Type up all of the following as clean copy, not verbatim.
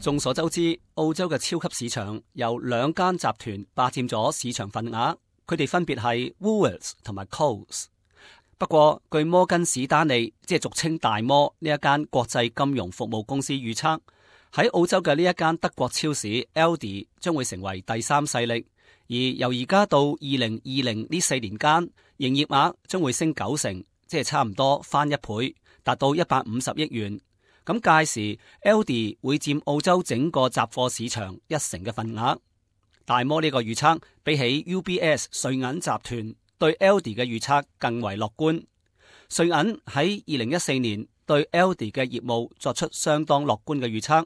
眾所周知，澳洲嘅超級市場由兩間集團霸佔咗市場份額，佢哋分別係 Woolworths 同埋 Coles。不過，據摩根士丹利，即係俗稱大摩呢一間國際金融服務公司預測，喺澳洲嘅呢一間德國超市 Aldi 將會成為第三勢力，而由而家到2020呢4年間，營業額將會升90%，即係差唔多翻一倍，達到150億元。咁屆時 Aldi 會佔澳洲整個雜貨市場1成嘅份額。大摩呢個預測比起 UBS 瑞銀集團對 Aldi 嘅預測更為樂觀。瑞銀喺2014年對 Aldi 嘅業務作出相當樂觀嘅預測，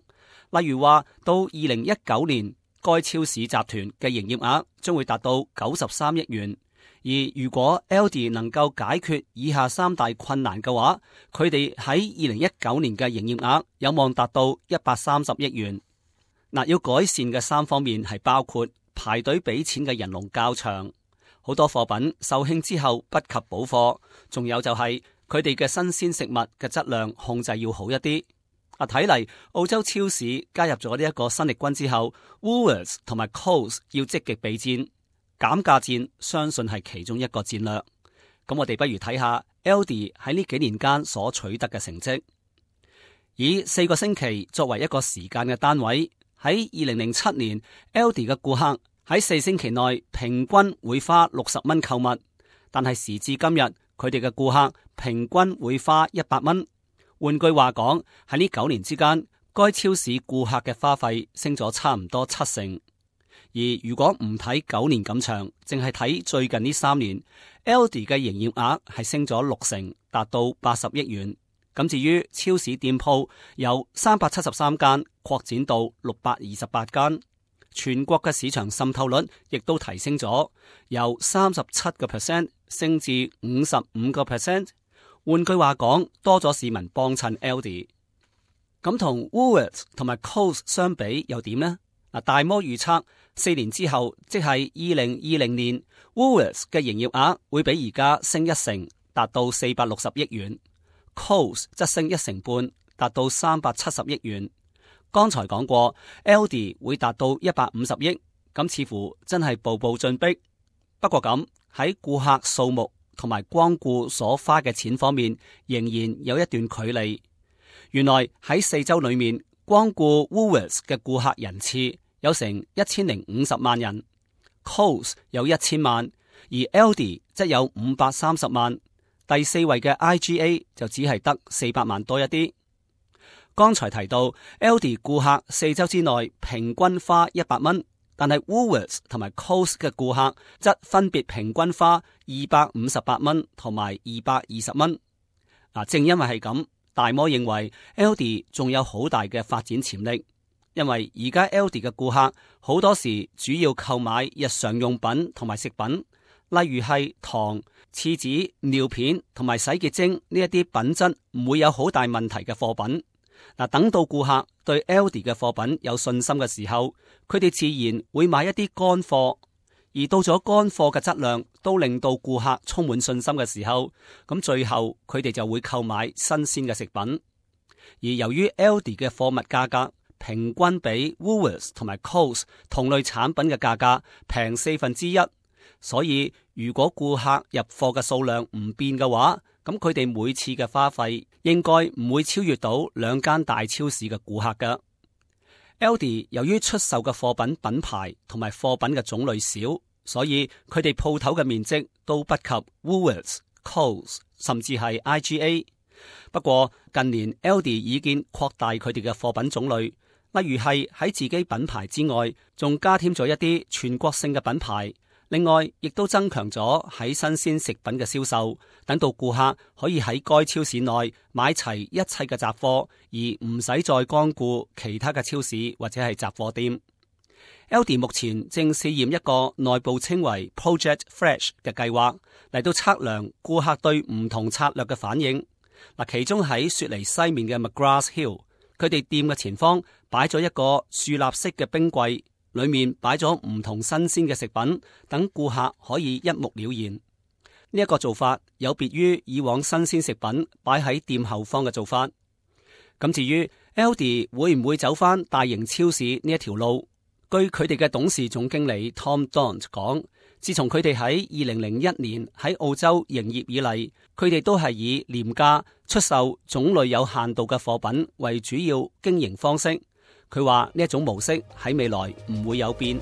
例如話到2019年，該超市集團嘅營業額將會達到93億元。而如果 Aldi 能夠解決以下3大困難嘅話，佢哋喺2019年嘅營業額有望達到130億元。要改善嘅3方面係包括排隊俾錢嘅人龍較長。好多貨品售罄之後不及補貨，仲有就係佢哋嘅新鮮食物嘅質量控制要好一啲。睇嚟澳洲超市加入咗呢一個新力軍之後 ，Woolworths 同埋 Coles 要積極備戰，減價戰相信係其中一個戰略。咁我哋不如睇下 Aldi 喺呢幾年間所取得嘅成績。以4個星期作為一個時間嘅單位，喺2007年 Aldi 嘅顧客喺4星期內平均會花60蚊購物，但係時至今日，佢哋嘅顧客平均會花100蚊。換句話講，喺呢9年之間，該超市顧客嘅花費升咗差唔多7成。而如果唔睇9年咁長，淨係睇最近呢3年 ，Aldi 嘅營業額係升咗6成，達到80億元。咁至於超市店鋪由373間擴展到628間。全國嘅市場滲透率亦都提升咗，由37% 升至55%。換句話講，多咗市民幫襯 Aldi。咁同 Woolworths 同埋 Coles 相比又點呢？大摩預測4年之後，即係2020年 ，Woolworths 嘅營業額會比而家升1成，達到460億元。Coles 則升1成半，達到370億元。剛才講過 ，Aldi 會達到150億，咁似乎真係步步進逼。不過咁喺顧客數目同埋光顧所花嘅錢方面，仍然有一段距離。原來喺4周裏面，光顧 Woolworths 嘅顧客人次有成1050萬人 ，Coles 有1000萬，而 Aldi 則有530萬。第4位嘅 IGA 就只係得400萬多一啲。剛才提到 Aldi 顧客4周之內平均花100蚊，但係 Woolworths 同埋 Coles 嘅顧客則分別平均花258蚊同埋220蚊。正因為係咁，大摩認為 Aldi 仲有好大嘅發展潛力，因為而家 Aldi 嘅顧客好多時主要購買日常用品同埋食品，例如係糖、廁紙、尿片同埋洗潔精呢一啲品質唔會有好大問題嘅貨品。等到顧客對 Aldi 嘅貨品有信心嘅時候，佢哋自然會買一啲乾貨，而到咗乾貨嘅質量都令到顧客充滿信心嘅時候，咁最後佢哋就會購買新鮮嘅食品。而由於 Aldi 嘅貨物價格平均比 Woolworths 同埋 Coles 同類產品嘅價格平1/4，所以如果顧客入貨嘅數量唔變嘅話，咁佢哋每次嘅花費應該唔會超越到2間大超市嘅顧客㗎。Aldi 由於出售嘅貨品品牌同埋貨品嘅種類少，所以佢哋鋪頭嘅面積都不及 Woolworths、Coles 甚至係 IGA。不過近年 Aldi 已經擴大佢哋嘅貨品種類，例如係喺自己品牌之外，仲加添咗一啲全國性嘅品牌。另外，亦都增強咗喺新鮮食品嘅銷售，等到顧客可以喺該超市內買齊一切嘅雜貨，而唔使再光顧其他嘅超市或者係雜貨店。Aldi 目前正試驗一個內部稱為 Project Fresh 嘅計劃，嚟到測量顧客對唔同策略嘅反應。其中喺雪梨西面嘅 McGrath Hill， 佢哋店嘅前方擺咗一個豎立式嘅冰櫃。裏面擺咗唔同新鮮嘅食品，等顧客可以一目了然。呢一個做法有別於以往新鮮食品擺喺店後方嘅做法。咁至於 Aldi 會唔會走返大型超市呢一條路？據佢哋嘅董事總經理 Tom Daunt 講，自從佢哋喺2001年喺澳洲營業以嚟，佢哋都係以廉價出售種類有限度嘅貨品為主要經營方式。佢話呢一種模式喺未來唔會有變。